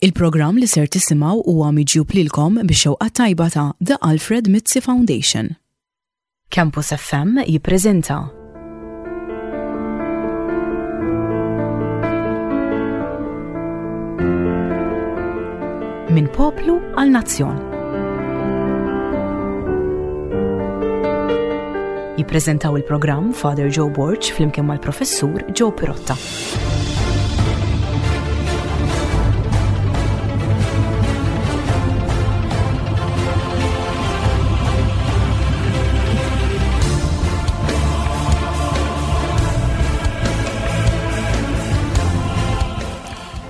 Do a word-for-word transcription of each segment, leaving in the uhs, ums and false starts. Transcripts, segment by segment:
Il-programm li ser tisimgħu huwa miġjub lilkom bix-xewqa tajba ta' The Alfred Mizzi Foundation. Campus F M jippreżenta Minn Poplu għal Nazzjon. Jippreżentaw il-programm Father Joe Borg flimkien mal-Professur Joe Pirotta.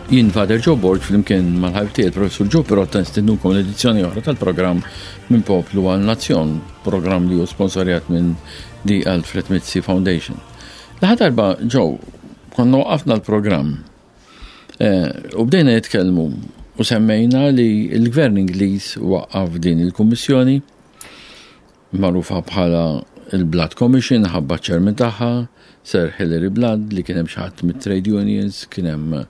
Jien Father Joe Borg flimkien mal-ħabib tiegħi Professur Joe Pirotta nistednukom l-edizzjoni oħra tal-programm Minn Poplu għal Nazzjon, programm li hu sponsorjat minn The Alfred Mizzi Foundation. L-aħħar darba, Joe, konna waqafna l-programm eh, u bdejna nitkellmu u semmejna li l-Gvern Ingliż waqqaf din il-Kummissjoni magħrufa bħala il-Blood Commission ħabba ċ-chairman tagħha, Sir Hilary Blood, li kien hemm xi ħadd mit-trade unions, kien hemm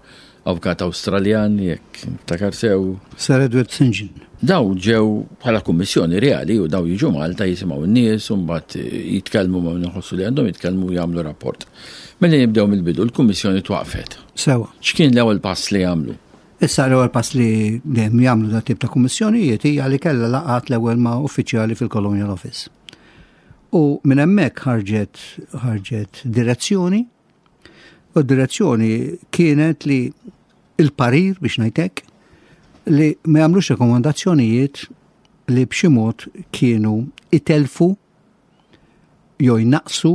avukat Awstraljan, jekk niftakar sew. Sir Edward Saint John. Daw ġew bħala kummissjoni reali u daw jiġu Malta jisimgħu n-nies u mbagħad jitkellmu ma' min iħossu li għandhom jitkellmu u jagħmlu rapport. Mela nibdew mill-bidu, l-kummissjoni twaqfet. Sewa. X'kien l-ewwel pass li għamlu? Issa l-ewwel pass li dejjem jagħmlu dat tip ta' kummissjonijiet hija li kellha laqgħat l-ewwel ma' uffiċjali fil-Colonial Office. U minn hemmhekk ħarġet ħarġet direzzjoni, u d-direzzjoni kienet li il-parir biex ngħidlek li ma jagħmlux rekomandazzjonijiet li b'xi mod kienu itelfu jew jnaqsu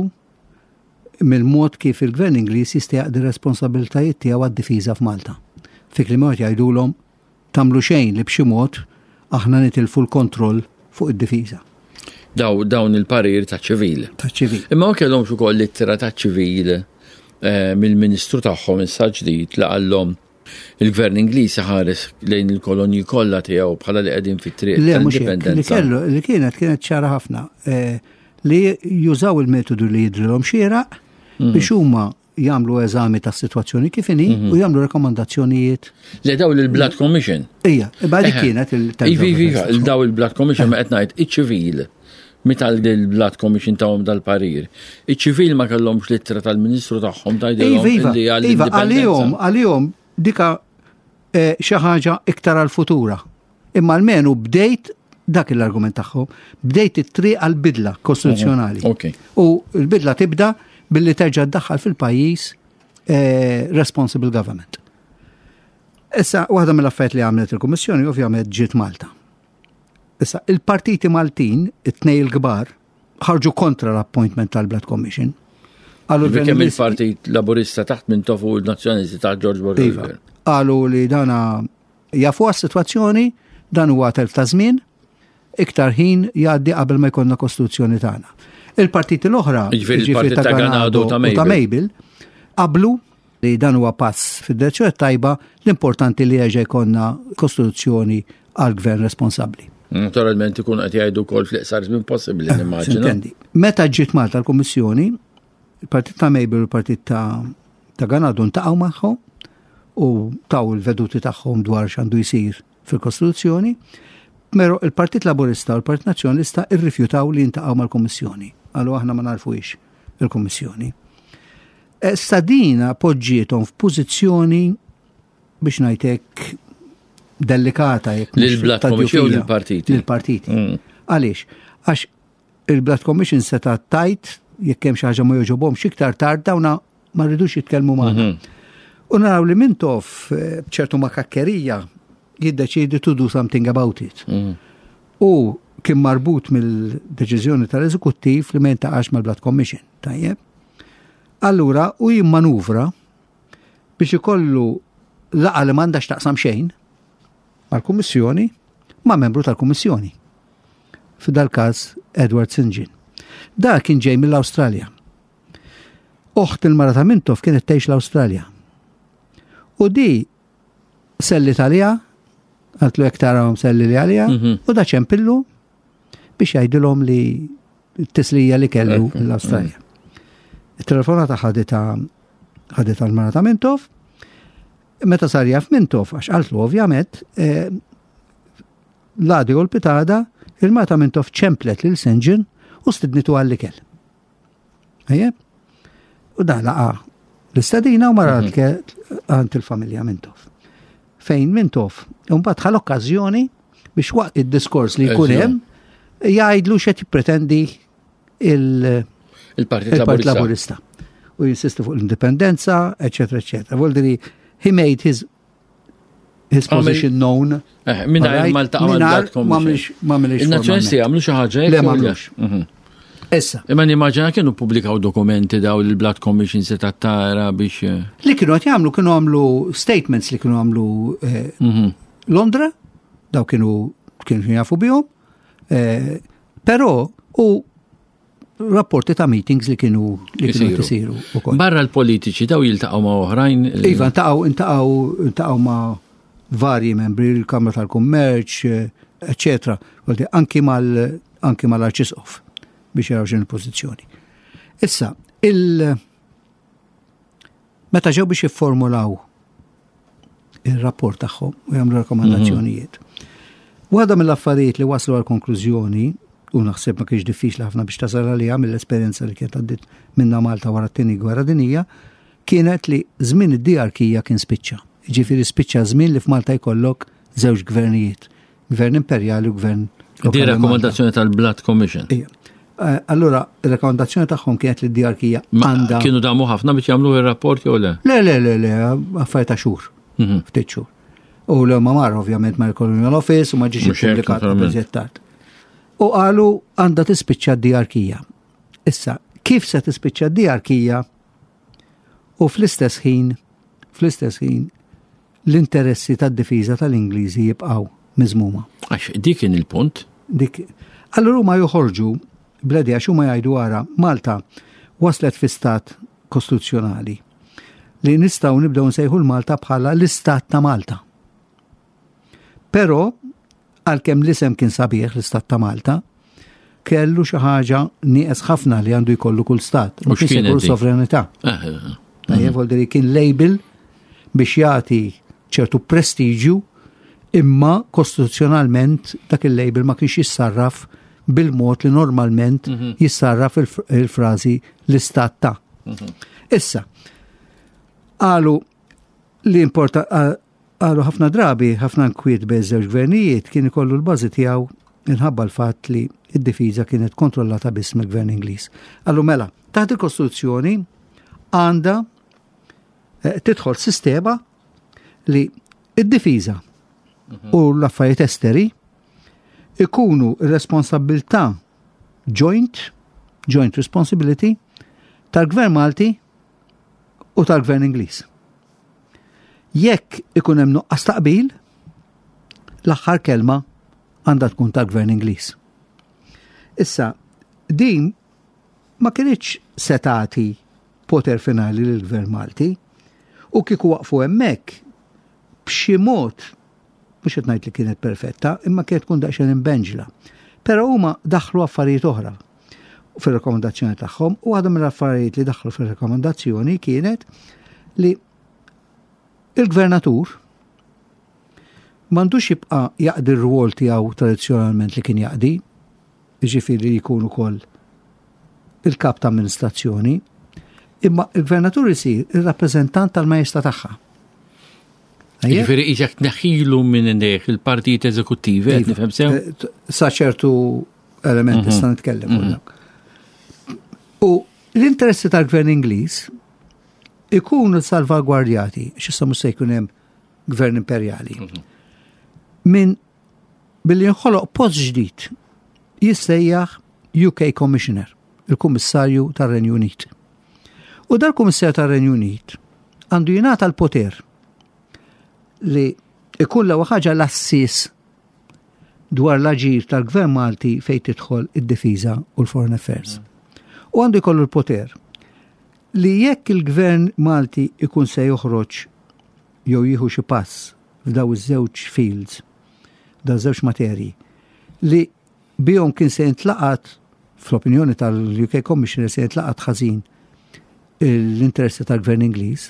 mill-mod kif il-Gvern Ingliż jista' jaqdi responsabilitajiet tiegħu għad-difiża f'Malta. Fi kliem ieħor jgħidulhom tagħmlu xejn li b'xi mod aħna nitilfu l-kontroll fuq id-difiża. Daw dawn il-parir ta' ċivil. Ta' ċivil. Imma ma kellhomx ukoll ittra ta' ċivil eh, mill-Ministru tagħhom issa ġdid li qallhom il-Gvern Ingliż ħares lejn il-kolonji kollha tiegħu bħala li qegħdin fit-triq Le, mhux hekk. Li tal-indipendenza. kellu, li kienet kienet ċara ħafna eh, li jużaw il-metodu li jidrilhom xieraq biex huma jagħmlu eżami tas-sitwazzjoni kif inhi u jagħmlu rekomandazzjonijiet. Le, daw il-Blood Commission. Ija, imma dik Eħe. kienet il Iva, iva, iva, il-daw il-Blood Commission, ma qed ngħid iċ-ċivil. Meta l-Blood Commission tawhom dal-parir. Iċ-ċivil ma kellhomx littra tal-Ministru tagħhom tgħidilhom Iva, iva, li iva, għall-indipendenza. għalihom, għalihom dika eh, xi ħaġa iktar għal-futura. Imma almenu bdejt dak l-argument tagħhom, bdejt it-triq għal-bidla kostituzzjonali. Ok. U l-bidla tibda billi terġa' ddaħħal fil-pajjiż eh, responsible government. Issa, waħda mill-affarijiet li għamlet il-Kummissjoni ovvjament ġiet Malta. Issa, il-partiti Maltin, it-tnej il-kbar, ħarġu kontra l-appointment tal-Blood Commission. Qalu Kemm l-Gvern il-Partit Laburista taħt Mintoff u l-Nazzjonalisti taħt George Borg. Iva. Qalu li dana jafu għas-sitwazzjoni, dan huwa telf ta' żmien, iktar ħin jgħaddi qabel ma jkollna kostituzzjoni tagħna. Il-partiti l-oħra, Jiġifieri il-partit ta' Ganado u ta' u ta' Mabel, qablu li dan huwa pass fid-direzzjoni tajba, l-importanti li jerġa' jkollna kostituzzjoni għal gvern responsabbli. Naturalment ikun qed jgħidu wkoll fl-iqsar żmien possibbli, nimmaġina. Intendi. Meta ġiet Malta l-Kummissjoni, il-partit ta' Mabel u l-partit ta' ta' Ganado ntaqgħu magħhom u taw il-veduti tagħhom dwar x'għandu jsir fil-Kostituzzjoni, Pero il-Partit Laburista u l-Partit Nazzjonalista irrifjutaw li jintaqgħu mal-Kummissjoni. Qalu aħna ma narfuhiex il-Kummissjoni. Issa dina poġġiethom f'pożizzjoni biex ngħidlek delikata jekk mhux Lil-Blood ta' Commission jew djufija. lill-partiti? Lill-partiti. Mm. Għaliex? Għax il-Blood Commission seta' tgħid jekk hemm xi ħaġa ma jogħġobhomx iktar tard dawna ma rridux jitkellmu magħna. U naraw li Mintoff eh, b'ċertu makakkerija jiddeċidi to do something about it. Mm. U kien marbut mill-deċiżjoni tal-eżekuttiv li ma jintaqax mal-Blood Commission. Tajjeb. Allura, u jimmanuvra biex ikollu laqgħa li m'għandax taqsam xejn mal-Kummissjoni ma' membru tal-Kummissjoni. F'dal każ Edward Saint John. Da kien ġej mill-Awstralja. Oħt il-mara ta' Mintoff kienet tgħix l-Awstralja. U di selliet għaliha, qaltlu jekk tarahom selli li għalija, Mhm. u da ċempillu biex jgħidilhom li t-tislija li kellu Ekku, l-Awstralja. Il-telefonata ħadita ħadita l-mara ta' Mintoff, Meta sar jaf Mintoff, għax qaltlu ovvjament, eh, l-għada u l-pitgħada, il-mara ta' Mintoff ċemplet lil Saint John u stidnitu għall-ikel. Ejje? U dan laqa l-istedina u mar għand il-familja Mintoff. Fejn Mintoff, mbagħad ħa l-okkażjoni biex waqt id-diskors li jkun hemm jgħidlu x'qed jippretendi il- Il-Partit il-Partit Laburista. Laburista. U jinsisti fuq l-indipendenza, eccetera, eccetera. Vuol he made his his Għamel- position known. Eh, Mingħajr Alright? ma ltaqa' Mingħajr mal-Blood ma Commission. għamilx- ma għamilx Il-Nazzjonalisti formalment. għamlu xi ħaġa hekk Le, jew ma għamlux. Mhm. Issa, Imma nimmaġina kienu pubblikaw dokumenti daw il-Blood Commission se tara biex. eh, li kienu qed jagħmlu kienu għamlu statements li kienu għamlu eh, mhm. Londra, daw kienu kienu jafu bihom, eh, però u rapporti ta' meetings li kienu li kienu Isiru. isiru ukoll. Barra l-politiċi daw jiltaqgħu ma' oħrajn. eh, Iva, ntaqgħu ntaqgħu ntaqgħu ma' varji membri, il-Kamra tal-Kummerċ, eh, eccetera. Vuol dire, Anki mal anki mal-Arċisqof biex jaraw x'inhi l-pożizzjoni. Issa, il meta ġew biex jifformulaw il-rapport tagħhom u jagħmlu rakkomandazzjonijiet. Waħda mill-affarijiet li waslu għal konklużjoni, u naħseb ma kienx diffiċli ħafna biex tasal għaliha mill-esperjenza li kienet għaddit minna Malta wara t-tieni gwerra dinija, kienet li żmien id-diarkija kien spiċċa. Ġifieri spiċċa żmien li f'Malta jkollok żewġ gvernijiet, gvern imperjali u gvern Di lokali Malta. rakkomandazzjoni tal-Blood Commission. Ija. Eh, Allura, il-rakkomandazzjoni tagħhom kienet li d-diarkija Ma għandha. kienu damu ħafna biex jagħmlu ir-rapport jew le? Le, le, le, le, affarijiet ta' xhur, Mhm. ftit xhur. U l ma mar ovvjament ma l-Colonial Office u ma ġiex Mhux hekk, ippubblikat naturalment. iżjed tard. U qalu għandha tispiċċa d-diarkija. Issa, kif se tispiċċa d-diarkija u fl-istess ħin, fl-istess ħin, l-interessi tad-difiża tal-Ingliżi jibqgħu miżmuma. Għax dik kien il-punt. Dik. Allura huma joħorġu bl-idea għax huma jgħidu ara Malta waslet fi stat kostituzzjonali li nistgħu nibdew nsejħu l-Malta bħala l-istat ta' Malta. Però għalkemm l-isem kien sabiħ l-istat ta' Malta, kellu xi ħaġa nieqes ħafna li għandu jkollu kull stat. U Ma kienx x'kienet ikollu dik? sovranità. Eh, eh, Tajjeb, vuol dire kien label biex jagħti ċertu prestiġju imma kostituzzjonalment dak il-label ma kienx jissarraf bil-mod li normalment jissarraf il- il-frażi l-istat ta'. Issa, qalu li importa qalu ħafna drabi, ħafna nkwiet bejn żewġ gvernijiet kien ikollu l-bażi tiegħu minħabba l-fatt li id-difiża kienet kontrollata biss mill-gvern Ingliż. Qalu mela, taħt il-Kostituzzjoni għandha eh, tidħol sistema li id-difiża u l-affarijiet esteri ikunu responsabilità joint, joint responsibility tal-gvern Malti u tal-gvern Ingliż. Jekk ikun hemm nuqqas taqbil, l-aħħar kelma għandha tkun tal-gvern Ingliż. Issa, din ma kinitx se tagħti poter finali lill-gvern Malti u kieku waqfu hemmhekk b'xi mod mhux qed ngħid li kienet perfetta, imma kienet tkun daqsxejn imbenġla. Però huma daħlu affarijiet oħra fir-rekomendazzjoni tagħhom u waħda mill-affarijiet li daħlu fir-rekomendazzjoni kienet li il-gvernatur m'għandux jibqa' jaqdi r-rwol tiegħu tradizzjonalment li kien jaqdi, jiġifieri li jkun ukoll il-kap ta' amministrazzjoni, imma il-gvernatur isir il-rappreżentant tal-majesta tagħha. Ejja? Ġifieri iġak tneħħilu minn idejh il-partijiet eżekuttivi, qed nifhem sew? Eh, Sa ċertu elementi sta nitkellem fuq dak. U l-interessi tal-gvern Ingliż ikunu salvagwardjati, x'issa mhux se jkun hemm gvern imperjali. Minn billi nħoloq post ġdid jissejjaħ U K Commissioner, il-Kummissarju tar-Renju Unit. U dal-Kummissarju tar-Renju Unit għandu jingħata l-poter li ikun l ħaġa l-assis dwar l-aġir tal-Gvern Malti fejn tidħol id-difiża u l-Foreign Affairs. U għandu jkollu l-poter li jekk il-Gvern Malti ikun se joħroġ jew jieħu xi pass f'daw iż-żewġ fields, daw żewġ materji, li bihom kien se jintlaqat, fl-opinjoni tal-U K Commissioner, se jintlaqat ħażin l-interessi tal-Gvern Ingliż,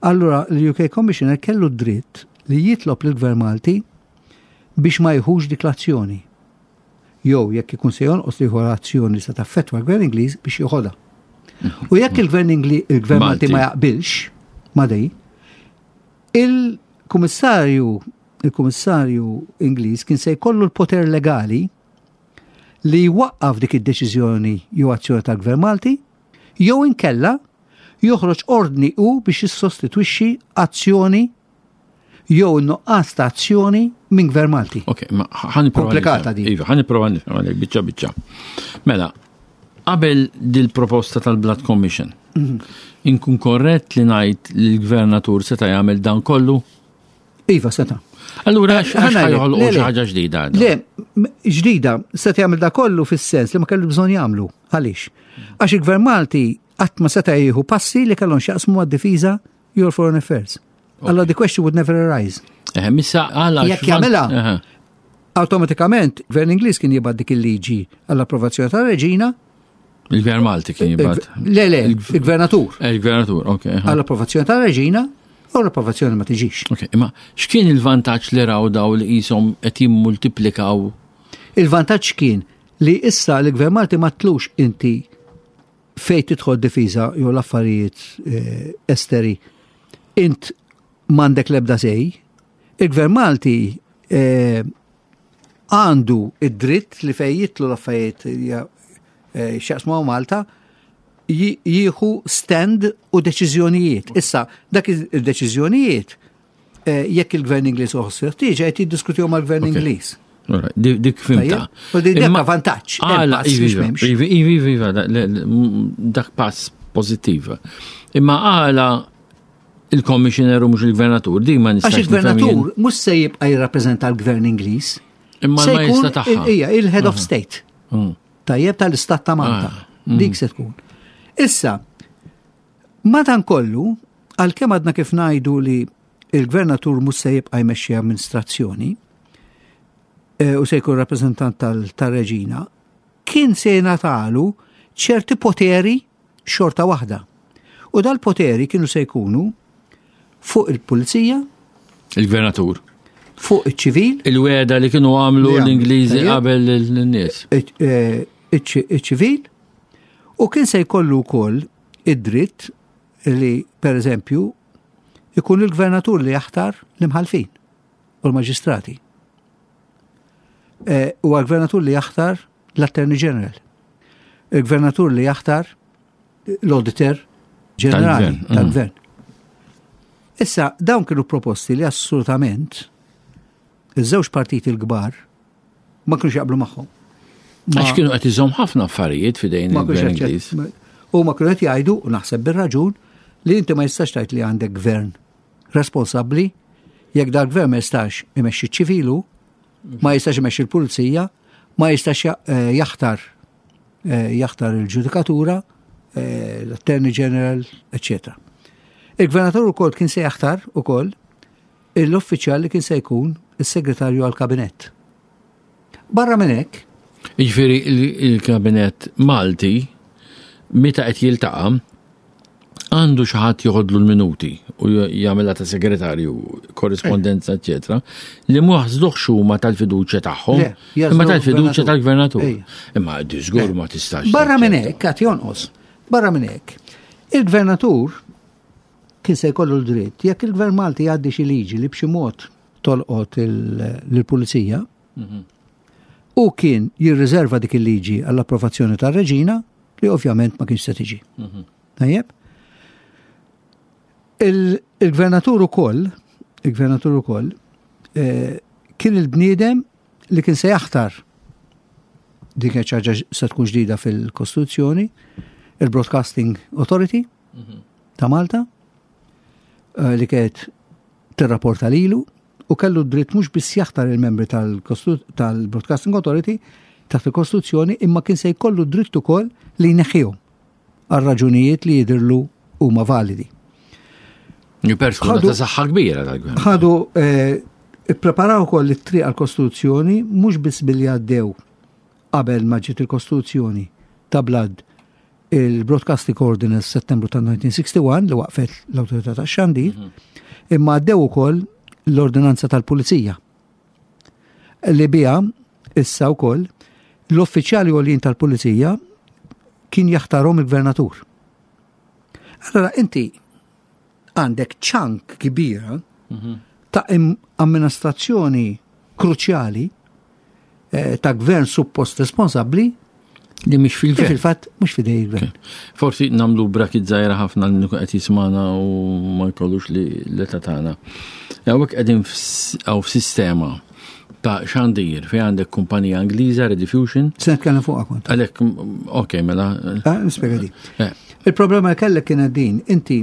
allura l-U K Commissioner kellu dritt li jitlob lill-Gvern Malti biex ma jieħux dik l-azzjoni. Jew jekk ikun se jonqos li jieħu azzjoni se taffettwa l-Gvern Ingliż, biex joħodha. U jekk il-Gvern Ingli il-Gvern Malti Malti. ma jaqbilx ma dej, il-Kummissarju il-Kummissarju Ingliż kien se jkollu l-poter legali li jwaqqaf dik id-deċiżjoni jew azzjoni tal-Gvern Malti, jew inkella joħroġ ordni u biex jissostitwixxi azzjoni jew nuqqas ta' azzjoni minn Gvern Malti. Ok, ma ħa nipprova. Komplikata nifhem. din. Iva, ħa nipprova nifhem għalek, biċċa biċċa. Mela, qabel dil-proposta tal-Blood Commission, Mhm. inkun korrett li ngħid li l-gvernatur seta' jagħmel dan kollu? Iva, seta'. Allura, għax Ħa ngħidlek, ħa joħolqu le, xi le. ħaġa ġdida? Le, m- ġdida, seta' jagħmel da kollu fis-sens li ma kellu bżonn jagħmlu. Għaliex? Għax il-Gvern Malti qatt ma seta' jieħu passi li kellhom x'jaqsmu għad-difiża jew foreign affairs. Allora the question would never arise. Eh, missa għala. Jekk jagħmilha, awtomatikament Gvern Ingliż kien jibgħat dik il-liġi għall-approvazzjoni tar-reġina. Il-Gvern Malti kien jibgħat. Le, le, il-gvernatur. Eh, Il-gvernatur, ok. aha. Għall-approvazzjoni tar-reġina u l-approvazzjoni ma tiġix. Ok, imma x'kien il-vantaġġ li raw daw li qishom qed jimmultiplikaw? Il-vantaġġ kien li issa l-Gvern Malti ma tlux inti fej tidħol difiża jew l-affarijiet eh, esteri, int m'għandek lebda say. Il-Gvern Malti eh, għandu id-dritt li fej jidħlu l-affarijiet eh, x'jaqsmu Malta ji- jieħu stand u deċiżjonijiet. Issa, dak il-deċiżjonijiet, eh, jekk il-Gvern Ingliż uħoss ħtieġa, qed jiddiskutihom mal-Gvern Ok. Ingliż. Alright, Dik dik fhimtha. Tajjeb? U di- dak Imma- vantaġġ, hemm Għala, pass biex iva, m'hemmx. iva, iva, iva, da- le- le- m- dak pass pozittiv. Imma għala il-commissioner u mhux il-gvernatur, dik ma nistax Għax il-gvernatur mhux se jibqa' jirrappreżenta l-gvern Ingliż. Imma Se l-majesta jkun tagħha. Ija, il-head of state. Mm. Tajjeb, tal-istat ta' Malta. Ah, mm. Dik se tkun. Issa, madankollu, għalkemm għadna kif ngħidu li il-gvernatur mhux se jibqa' jmexxi amministrazzjoni eh, u se jkun rappreżentant tal- tal-reġina, kien se jingħatalu ċerti poteri xorta waħda. U dal-poteri kienu se jkunu fuq il-pulizija, Il-gvernatur. fuq iċ-ċivil, Il-weda li kienu għamlu Li għamlu, l-Ingliżi tajjeb. qabel l-nies. iċ-ċivil, u kien se jkollu wkoll id-dritt li, per eżempju, ikun il-gvernatur li jaħtar l-imħalfin u l-maġistrati. Eh, U għal-gvernatur li jaħtar l-Attorney General. Il-gvernatur li jaħtar l-Auditor Ġenerali Tal-gvern, mm. tal-gvern. Issa, dawn kienu proposti li assolutament iż-żewġ partiti l-kbar ma kienux jaqblu magħhom. Ma- Għax kienu qed iżomm ħafna affarijiet fidejn ma kienux il-gvern jaċċett- Ingliż. ma- U ma kienu qed jgħidu, u naħseb bir-raġun, li inti ma jistax tgħid li għandek gvern responsabbli jekk dal-gvern ma jistax imexxi ċivilu, ma jistax imexxi l-pulizija, ma jistax ja- eh, jaħtar eh, jaħtar il-ġudikatura, eh, l-Attorney General, eccetera. Il-gvernatur ukoll kien se jaħtar ukoll l-uffiċjal li kien se jkun is-segretarju għal-kabinett. Barra minn hekk, Jiġifieri il- il-kabinet Malti meta qed jiltaqa' għandu xi ħadd joħodlu l-minuti u jagħmilha ta' segretarju, korrispondenza, eċetera, li mu jaħsduhx huma tal-fiduċja tagħhom, Le, jażlu imma tal-fiduċja l-gvernatur. tal-gvernatur. Ejja. Imma di żgur ma tistax. Barra minn taċċetta. hekk, għad jonqos. Barra minn hekk. Il-gvernatur kien se jkollu l-dritt, jekk il-gvern Malti jgħaddi xi liġi li b'xi mod tolqot il- lill-pulizija, u kien jirriserva dik il-liġi għall-approvazzjoni tar-reġina, li ovvjament ma kienx se tiġi. Tajjeb? Il- Il-gvernatur ukoll, il-gvernatur ukoll, eh, kien il-bniedem li kien se jaħtar, dik kienet ħaġa se tkun ġdida fil-Kostituzzjoni, il-Broadcasting Authority ta' Malta, eh, li kienet tirrapporta lilu, u kellu dritt mhux biss jaħtar il-membri tal-Kostu- tal-Broadcasting Authority taħt il-Kostituzzjoni, imma kien se jkollu dritt ukoll li jneħħihom għal raġunijiet li jidirlu huma validi. Persuna Ħadu- ta' saħħa kbira tal-gvern. Ħadu eh, ippreparaw ukoll it-triq għall-Kostituzzjoni mhux biss billi għaddew qabel ma ġiet il-Kostituzzjoni ta' Blood Il-Broadcasting Ordinance Settembru ta' elf disa' mija u wieħed u sittin li waqfet l-Awtorità tax-Xandir, mhm. imma għaddew ukoll l-Ordinanza tal-Pulizija li biha issa wkoll l-uffiċjali għoljin tal-Pulizija kien jaħtarhom il-gvernatur. Allora inti għandek chunk kbira mhm. ta' amministrazzjoni kruċjali eh, ta' gvern suppost responsabli li mhix fil-gvern. Fil-fatt mhux f'idej il-gvern. Forsi nagħmlu break żgħira ħafna li qed jismana u ma jkollux li l-età tagħna. Hawnhekk qegħdin f'sistema ta' xandir fej għandek kumpanija Ingliża, Rediffusion. Se nitkellem fuqha kont. Għalhekk, ok, mela. Ah, nispjega di. Eh. Il-problema li kellek kienet din, inti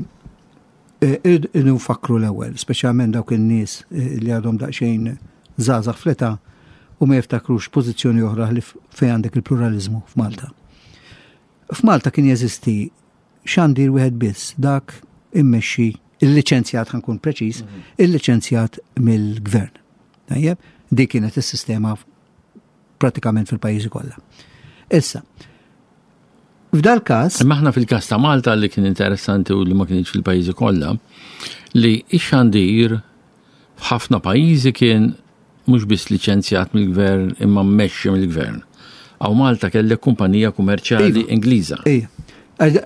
eh, nfakru l-ewwel, speċjalment dawk in-nies eh, li għadhom daqsxejn żgħażagħ fl-età u ma jiftakrux pożizzjoni oħra li fejn għandek il-pluralizmu f'Malta. F'Malta kien jeżisti xandir wieħed biss, dak immexxi il-liċenzjat, ħa nkun preċiż, mhm. il-liċenzjat mill-gvern. Tajjeb, dik kienet is-sistema pratikament fil-pajjiżi kollha. Issa, f'dal każ. Imma aħna fil-każ ta' Malta li kien interessanti u li ma kienx fil-pajjiżi kollha, li ix-xandir f'ħafna pajjiżi kien mhux biss liċenzjat mill-gvern imma mmexxi mill-gvern. Hawn Malta kellek kumpanija kummerċjali iva. Ingliża. Ija.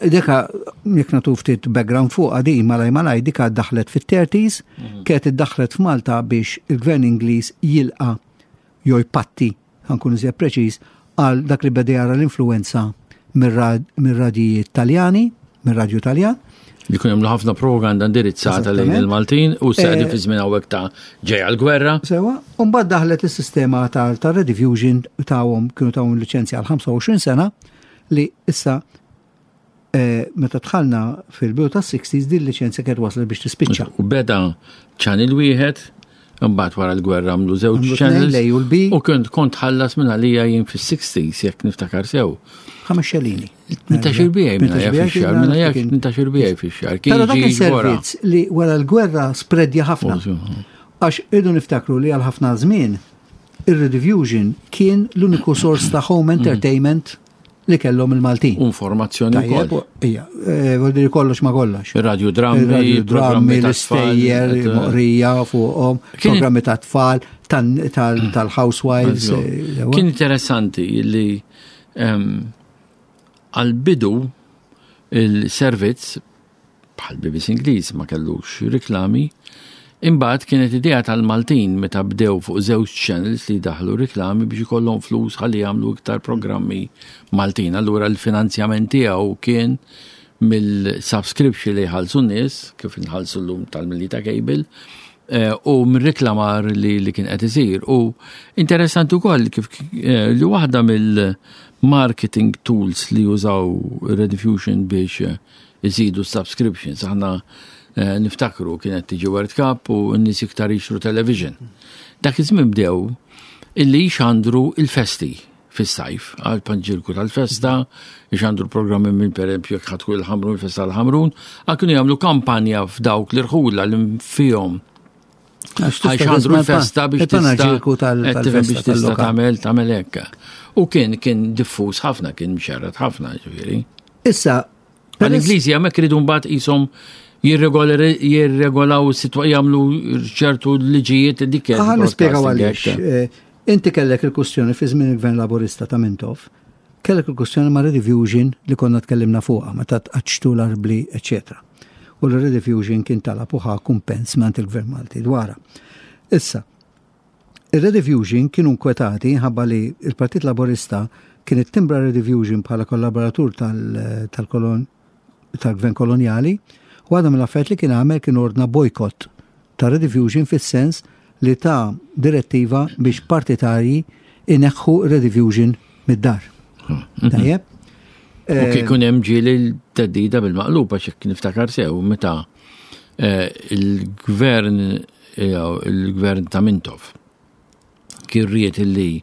Dika, jekk nagħtu ftit background fuq di, malaj malaj, dika daħlet fit-thirties, mhm. kienet iddaħlet f'Malta biex il-gvern Ingliż jilqa jew jpatti, ħa nkun iżjed preċiż, għal dak li beda jara l-influenza mir-radijiet Taljani, mir-radju Taljan. Li kun jagħmlu ħafna propaganda indirizzata lejn il-Maltin u s-saqdi eh, fi żmien hawnhekk ta' ġejja l-gwerra. Sewa, u mbagħad daħlet is-sistema tal-Rediffusion tawhom kienu tawhom liċenzja għal ħamsa u għoxrin sena li issa eh, meta dħalna fil-bidu tas-sixties din liċenzja kienet waslet biex tispiċċa. U beda channel wieħed, imbagħad wara l-gwerra għamlu żewġ channels. U l-B. U kont kont ħallas minn għalija jien fis-sixties, jekk niftakar sew. Ħames xelini. Tmintax-il bijaj minn għalija fix-xahar, minn għalija tmintax-il bijaj fix-xahar. Però dak il-servizz li wara l-gwerra spredja ħafna. Għax irridu niftakru li għal ħafna żmien ir-Rediffusion kien l-uniku sors ta' home mm. entertainment li kellhom il-Maltin. Informazzjoni wkoll. Ija, eh, vuol dire kollox ma kollox. Ir-radio drammi, il-radio drammi, l-istejjer, moqrija fuqhom, programmi ta' tfal, tal-housewives. Eh, kien interessanti li għal-bidu il-servizz bħal B B C Ingliż ma kellux riklami. Imbagħad kienet idea tal-Maltin meta bdew fuq żewġ channels li daħlu riklami biex ikollhom flus ħalli jagħmlu iktar programmi Maltin. Allura l-finanzjament tiegħu kien mill-subscription li jħallsu n-nies, kif inħallsu llum tal-Melita Cable, eh, u mir-reklamar li, li kien qed isir. U interessanti wkoll kif eh, li waħda mill-marketing tools li jużaw Rediffusion biex eh, iżidu subscriptions. Aħna Eh, niftakru kienet tiġi World Cup u n-nies iktar jixtru television. Dak iż-żmien bdew illi jxandru il-festi fis-sajf, għal panġirku tal-festa, jxandru programmi minn, per eżempju, jekk ħadku il-Ħamrun, il-festa tal-Ħamrun, għal kienu jagħmlu kampanja f'dawk l-irħula li fihom ħa jxandru l-festa biex tista' biex tista' tagħmel tagħmel hekk. U kien kien diffuż ħafna, kien mxerred ħafna, ġifieri. Issa, Għal-Ingliżi hemmhekk iridu mbagħad qishom jirregolaw jagħmlu ċertu liġijiet dik. Ħa nispjegaw għaliex. Eh, inti kellek il-kustjoni fi żmien il-Gvern Laburista ta' Mintoff, kellek il-kustjoni ma' Rediffusion li konna tkellimna fuqha meta tqaċċtu l-arbli, eċetera. U l-Rediffusion kien talab u ħa kumpens mingħand il-Gvern Malti dwarha. Issa, il-Rediffusion kienu nkwetati ħabba li il-Partit Laburista kien ittimbra Rediffusion bħala kollaboratur tal-kolon tal-gvern koloniali. U għadha mill-affarijiet li kien għamel kien ordna boycott ta' Rediffusion, fis-sens li ta' direttiva biex partitarji ineħħu Rediffusion mid-dar. Hmm. Tajjeb? U kien hemm ġieli l-theddida bil-maqlub, għax jekk niftakar sew meta eh, il-gvern il-gvern ta' Mintoff kien ried illi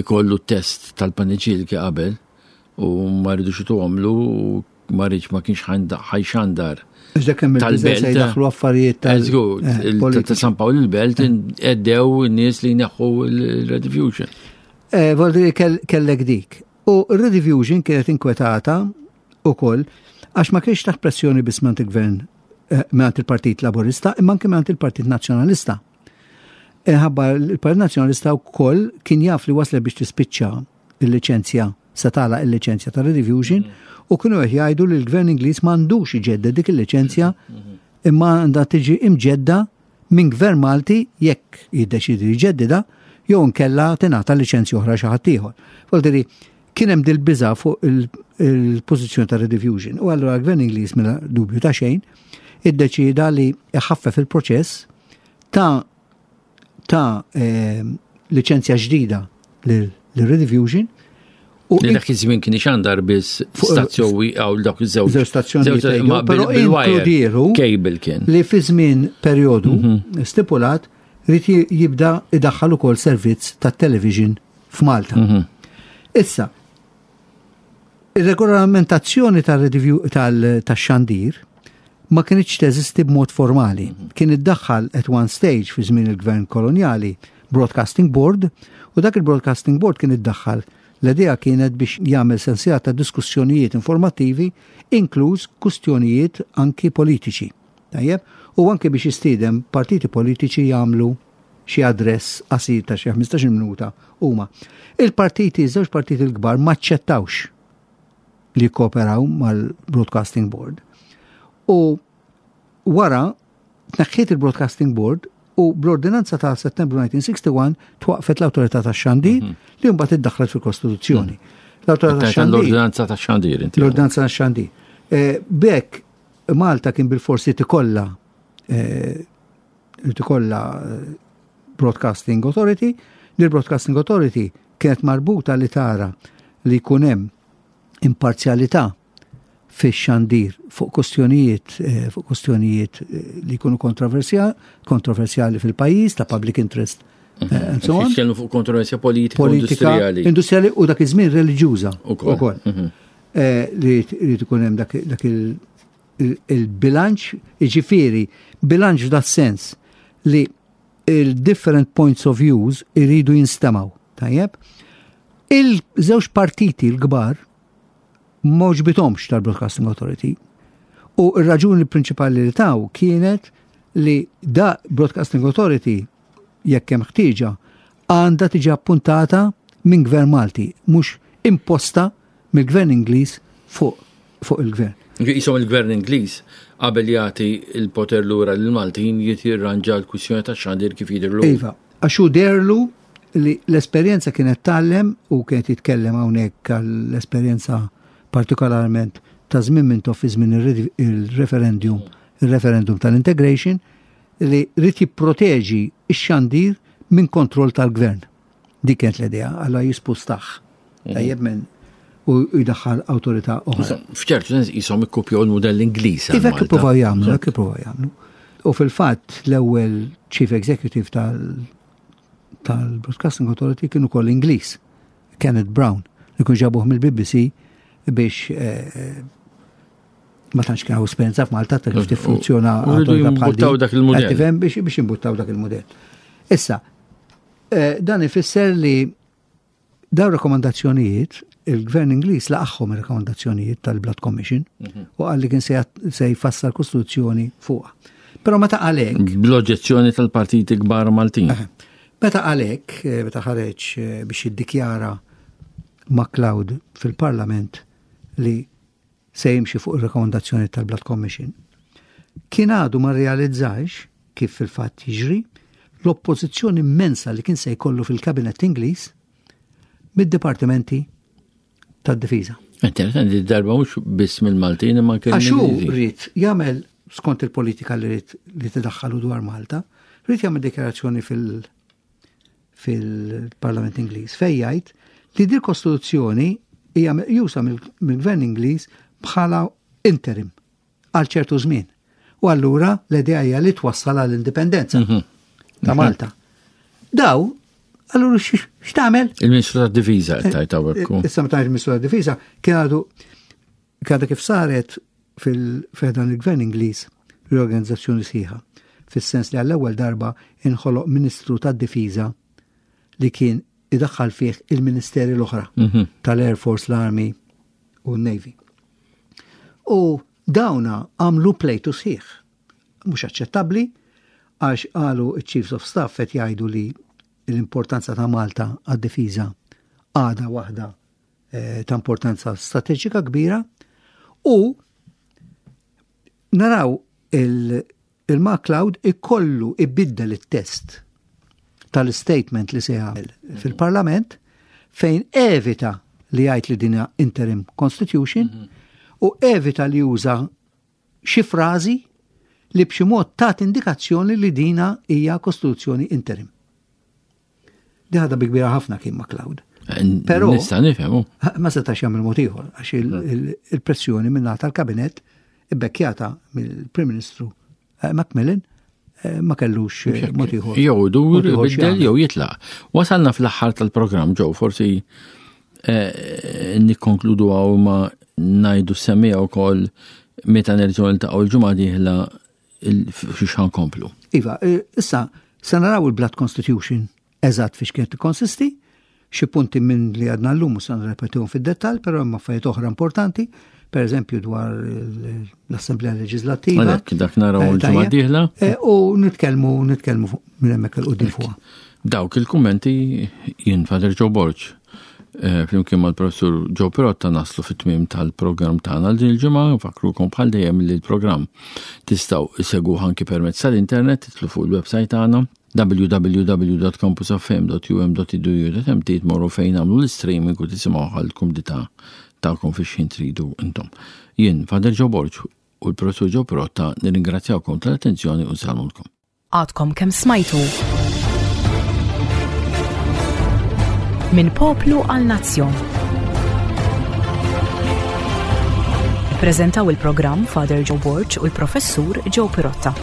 ikollu test tal-paniċilki qabel u ma rridux ituhomlu u ma rridx, ma kienx ħa jxandar Iżda kemm tal-belt. Daħlu affarijiet tal. Eh, ta' San Pawl il-Belt għeddew n-nies li jneħħu l-Rediffusion. Eh, Vuol dire kellek dik. U Rediffusion kienet inkwetata ukoll għax ma kienx taħt pressjoni biss mingħand il-gvern, eh, mingħand il-Partit Laburista, imma anke mingħand il-Partit Nazzjonalista. Ħabba il-Partit Nazzjonalista wkoll kien jaf li waslet biex tispiċċa il-liċenzja, se tagħlaq il-liċenzja ta' Rediffusion, u kienu qed jgħidu li l-gvern Ingliż m'għandux iġedded dik il-liċenzja, imma għandha tiġi imġedda minn gvern Malti jekk jiddeċidi jġeddida, jew nkella tingħata liċenzja oħra xi ħadd ieħor. Vuol kien hemm dil-biża fuq il-pożizzjoni ta' Rediffusion. U allura l-gvern Ingliż, mela dubju ta' xejn, iddeċida li jħaffef il-proċess ta' ta' eh, liċenzja ġdida lil Rediffusion. U li dak iż-żmien kien ixandar biss stazzjoni għaw dawk iż-żewġ. Żewġ stazzjonijiet, però inkludieru cable kien. Li fi żmien perjodu mhm. stipulat ried jibda idaħħal ukoll servizz ta' television f'Malta. Mhm. Issa, ir-regolamentazzjoni tal-xandir ma kienx teżisti b'mod formali. Mhm. Kien iddaħħal at one stage fi żmien il-gvern koloniali Broadcasting Board, u dak il-Broadcasting Board kien iddaħħal, l-idea kienet biex jagħmel sensiela ta' diskussjonijiet informattivi, inkluż kustjonijiet anki politiċi. Tajjeb, u anki biex jistiedem partiti politiċi jagħmlu xi address qasir ta' xi ħmistax-il minuta huma. Il-partiti, żewġ partiti l-kbar maċċettawx li kooperaw mal-Broadcasting Board. U wara tneħħiet il-Broadcasting Board u bl-ordinanza ta' Settembru elf disa' mija u wieħed u sittin twaqfet l-Awtorità tax-Xandir, mhm. li mbagħad iddaħħlet fil-Kostituzzjoni. Mhm. L-Awtorità tax-Xandir. L-ordinanza tax-Xandir. L-ordinanza tax-Xandir. Eh, b'hekk Malta kien bil-forsi tikolla eh, tikolla eh, Broadcasting Authority, li l-Broadcasting Authority kienet marbuta li tara li jkun hemm imparzjalità fix-xandir fuq kustjonijiet eh, fuq kustjonijiet eh, li jkunu kontroversjali fil-pajjiż, ta' public interest eh, and so on. Jitkellmu fuq kontroversja politika, politika industrijali. Industrijali u dak iż-żmien reliġjuża ukoll. Mhm. Li li tkun hemm dak il-bilanċ, jiġifieri bilanċ f'dat sens li il-different points of views iridu jinstemaw. Tajjeb? Il-żewġ partiti l-kbar m'għoġbithomx tal-Broadcasting Authority. U r-raġuni prinċipali li taw kienet li da Broadcasting Authority, jekk hemm ħtieġa, għandha tiġi appuntata minn gvern Malti, mhux imposta mill-gvern Ingliż fuq fuq il-gvern. Jisom il-gvern Ingliż qabel jagħti il-poter lura lill-Maltin jirranġa l-kwistjoni ta' xandir kif jidhirlu. Iva, għax hu deherlu li l-esperjenza kienet tgħallem, u kienet jitkellem hawnhekk għall-esperjenza partikolarment ta' żmien Mintoff fi żmien il-referendum, il-referendum tal-integration, li ried jipproteġi x-xandir minn kontroll tal-gvern. Dik kienet l-idea, għalla jispustax. Mhm. Tajjeb, minn u jdaħħal awtorità oħra. F'ċertu sens jisom ikkupjaw il-modell Ingliż. Iva, hekk ippruvaw jagħmlu, hekk ippruvaw jagħmlu. U fil-fatt l-ewwel Chief Executive tal- tal-Broadcasting Authority kienu koll Ingliż, Kenneth Brown, li kun ġabuh mill-B B C biex eh, ma tantx kien hawn esperjenza f'Malta ta' kif tiffunzjona U rridu awtorità bħal jimbuttaw din. dak il-mudell. Qed tifhem, biex biex imbuttaw dak il-mudell. Issa, eh, dan ifisser li daw rekomandazzjonijiet, il-gvern Ingliż laqagħhom ir-rekomandazzjonijiet tal-Blood Commission u qal li kien se jat- se jfassal kostituzzjoni fuqha. Però meta għalhekk Bl-oġġezzjoni tal-partiti kbar Maltin. Meta għalhekk, eh, meta ħareġ eh, biex jiddikjara MacLeod fil-Parlament li se jimxi fuq ir-rekomandazzjoni tal-Blood Commission, kien għadu ma realizzax kif fil-fatt jiġri l-oppożizzjoni immensa li kien se jkollu fil-Kabinet Ingliż mid-dipartimenti tad-difiża. Interessanti, darba mhux biss mill-Maltin imma anke Għax hu mill-Ingliżi. ried jagħmel skont il-politika li ried li tiddaħħalu dwar Malta, ried jagħmel dikjarazzjoni fil- fil-Parlament Ingliż fejn jgħid li din kostituzzjoni hija meqjusa mill- mill-gvern Ingliż bħala interim għal ċertu żmien. U allura l-idea hija li twassal għall-indipendenza ta' Malta. Daw, allura x- x'tagħmel? Il-Ministru tad-Difiża qed tgħid hawnhekk. Issa meta il-Ministru tad-Difiża kien għadu kien kif saret fil-fedan il-Gvern Ingliż riorganizzazzjoni sħiħa, fis-sens li għall-ewwel darba inħoloq Ministru tad-Difiża li kien idaħħal fih il-ministeri l-oħra Mhm. tal-Air Force, l-Army u n-Navy. U dawna għamlu plejtu sħiħ. Mhux aċċettabbli għax qalu chiefs of staff qed jgħidu li l-importanza ta' Malta għad-difiża għada waħda eh, ta' importanza strateġika kbira u naraw il-MacLeod ikollu ibiddel it-test tal-statement li se jagħmel fil-Parlament fejn evita li jgħid li dina interim constitution mm -hmm. u evita li juża xi frażi li b'xi mod tat indikazzjoni li dina hija kostituzzjoni interim. Di ħadha bi kbira ħafna kien MacLeod. Però nista' nifhemu. Ma setax jagħmel mod ieħor għax il-pressjoni minn tal-kabinett ibbekkjata mill-Prim Ministru eh, Macmillan eh, ma kellux eh, mod ieħor. Jew dur biddel jew jitlaq. Wasalna fl-aħħar tal-programm ġew forsi nikkonkludu għaw ma ngħidu semmija wkoll meta nerġgħu niltaqgħu l-ġimgħa dieħla fiex ħankomplu. Iva, issa se naraw il-Blood Constitution eżatt fiex kienet tikkonsisti, xi punti minn li għadna llum u se nirrepetihom fid-dettall, però hemm affarijiet oħra importanti, per eżempju dwar l-Assemblea Leġislattiva. Għalhekk dak naraw eh, il-ġimgħa dieħla. Eh, u nitkellmu nitkellmu minn hemmhekk il quddiem fuqha. Dawk il-kummenti jien Father Joe Borg eh, flimkien mal-professur Joe Pirotta naslu fit-tmiem tal-programm tagħna din il-ġimgħa, nfakkrukom bħal dejjem li l-programm tistgħu issegwuh anki permezz tal-internet, titlu fuq il-website tagħna www.campusfm.um.edu.mt tmorru fejn nagħmlu l-streaming u tisimgħu għal kumdità tagħkom fi xħin tridu intom. Jien, Father Joe Borg u l-professur Joe Pirotta nirringrazzjawkom tal-attenzjoni u nsellmulkom. Għadkom kemm smajtu Minn poplu għal nazzjon. Ippreżentaw il-programm Father Joe Borg u l-professur Joe Pirotta.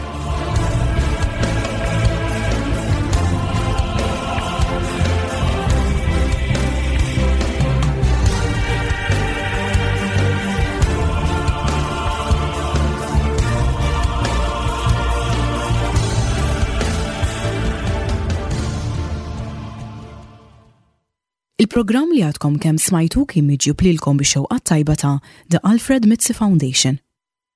Il-programm li għadkom kemm smajtu kien miġjub lilkom bix-xewqa tajba ta' The Alfred Mizzi Foundation.